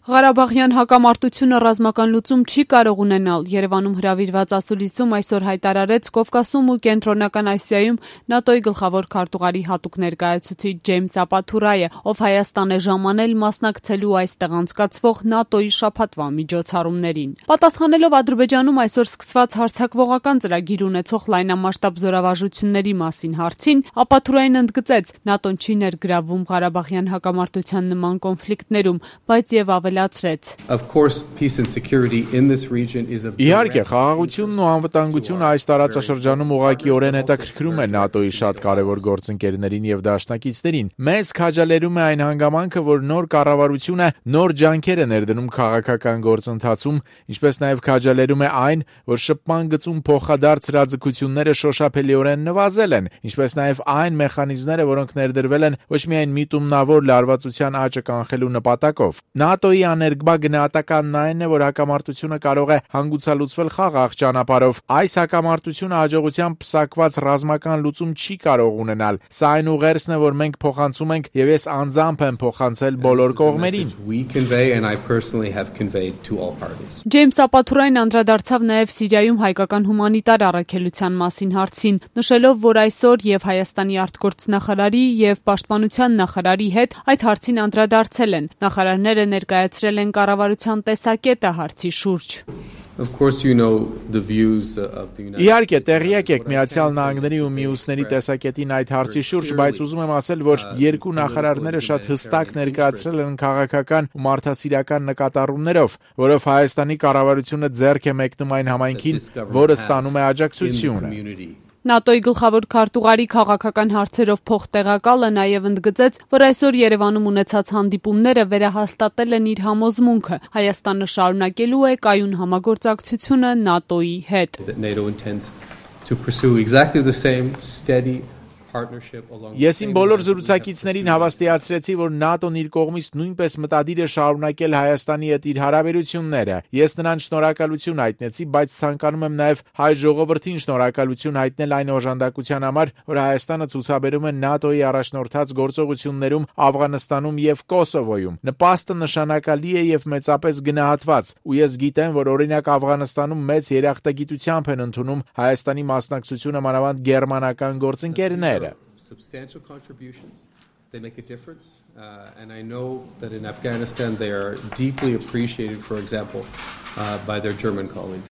Ղարաբաղյան հակամարտությունը ռազմական լուծում չի կարող ունենալ։ Երևանում հրավիրված ասուլիսում այսօր հայտարարեց Կովկասում ու Կենտրոնական Ասիայում ՆԱՏՕ-ի գլխավոր քարտուղարի հատուկ ներկայացուցիչ Ջեյմս Ապաթուրայը, ով Հայաստան է ժամանել մասնակցելու այստեղ անցկացվող ՆԱՏՕ-ի շաբաթվա միջոցառումներին։ Պատասխանելով Ադրբեջանում այսօր սկսված հարձակվողական ծրագիր ունեցող լայնամասշտաբ զորավարժությունների մասին հարցին, Ապաթուրային ընդգծեց. ՆԱՏՕ-ն չի ներգրավվում Ղարաբաղյան հակամարտության նման կոնֆլիկտներում, բայց եւ Իհարկե, խաղաղությունն ու անվտանգությունը այս տարածաշրջանում ուղղակիորեն հետաքրքրում է ՆԱՏՕ-ի շատ կարևոր գործընկերներին եւ դաշնակիցներին։ Մեզ քաջալերում է այն հանգամանքը, որ նոր կառավարությունը նոր ջանքեր է ներդնում քաղաքական գործընթացում, ինչպես նաեւ քաջալերում է այն, որ շփման գծում փոխադարձ հրաձգությունները շոշափելիորեն նվազել են, ինչպես նաեւ այն մեխանիզմները, որոնք ներդրվել են ոչ միայն միտումնավոր լարվածության աճը կանխելու նպատակով։ ՆԱՏՕ-ի աներկբա գնահատականն այն է, որ հակամարտությունը կարող է հանգուցալուծվել խաղաղ ճանապարհով։ Այս հակամարտությունը հաջողությամբ պսակված ռազմական լուծում չի կարող ունենալ։ Սա այն ուղերձն է, որ մենք փոխանցում ենք, եւ ես անձամբ եմ փոխանցել բոլոր կողմերին։ Ջեյմս Ապաթուրային անդրադարձավ նաեւ Սիրիայում հայկական հումանիտար առաքելության մասին հարցին, նշելով, որ այսօր եւ Հայաստանի արտգործնախարարի եւ պաշտպանության նախարարի հետ այդ հարցին անդրադարձել են։ Նախարարները ներկայացրել են կառավարության տեսակետը հարցի շուրջ։ Իհարկե, տեղյակ եք Միացյալ Նահանգների ու մյուսների տեսակետին այդ հարցի շուրջ, բայց ուզում եմ ասել, որ երկու նախարարները շատ հստակ ներկայացրել են քաղաքական ու մարդասիրական նկատառումներով, որով Հայաստանի կառավարությունը ձեռք է մեկնում այն համայնքին, որը ստանում է աջակցությունը։ ՆԱՏՕ-ի գլխավոր քարտուղարի քաղաքական հարցերով փոխտեղակալը նաև ընդգծեց, որ այսօր Երևանում ունեցած հանդիպումները վերահաստատել են իր համոզմունքը. Հայաստանը շարունակելու է կայուն համագործակցությունը ՆԱՏՕ-ի հետ։ Ես իմ բոլոր զրուցակիցներին հավաստիացրեցի, որ ՆԱՏՕ-ն իր կողմից նույնպես մտադիր է շարունակել Հայաստանի հետ իր հարաբերությունները։ Ես նրան շնորհակալություն հայտնեցի, բայց ցանկանում եմ նաև հայ ժողովրդին շնորհակալություն հայտնել այն օժանդակության համար, որ Հայաստանը ցուցաբերում է ՆԱՏՕ-ի առաջնորդած գործողություններում Աֆղանստանում եւ Կոսովոյում։ Նպաստը նշանակալի է եւ մեծապես գնահատված, ու ես գիտեմ, որ օրինակ Աֆղանստանում մեծ երախտագիտությամբ են ընդունում Հայաստանի մասնակցությունը մանավանդ գերմանական գործընկերները։ Substantial contributions. They make a difference. And I know that in Afghanistan they are deeply appreciated, for example, by their German colleagues.